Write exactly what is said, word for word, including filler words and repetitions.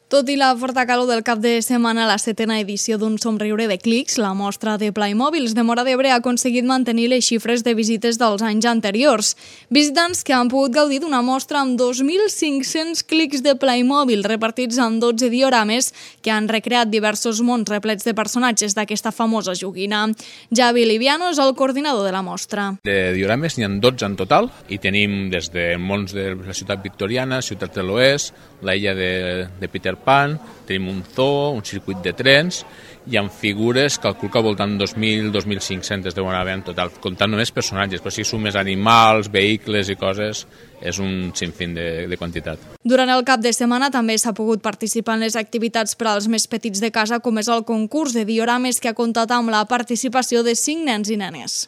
Tot i la forta calor del cap de setmana, la setena edició d'un somriure de clics, la mostra de Playmobils de Móra d'Ebre ha aconseguit mantenir les xifres de visites dels anys anteriors. Visitants que han pogut gaudir d'una mostra amb dos mil cinc-cents clics de Playmobil repartits en dotze diorames que han recreat diversos mons replets de personatges d'aquesta famosa joguina. Javi Liviano és el coordinador de la mostra. De diorames n'hi ha dotze en total i tenim des de mons de la ciutat victoriana, ciutat de l'Oest, la illa de, de Peter Pan, tenim un zoo, un circuit de trens i amb figures, calculo que al voltant dos mil a dos mil cinc-cents deuen haver en total, comptant només personatges, però si sumes animals, vehicles i coses, és un sinfín de, de quantitat. Durant el cap de setmana també s'ha pogut participar en les activitats per als més petits de casa, com és el concurs de diorames que ha comptat amb la participació de cinc nens i nenes.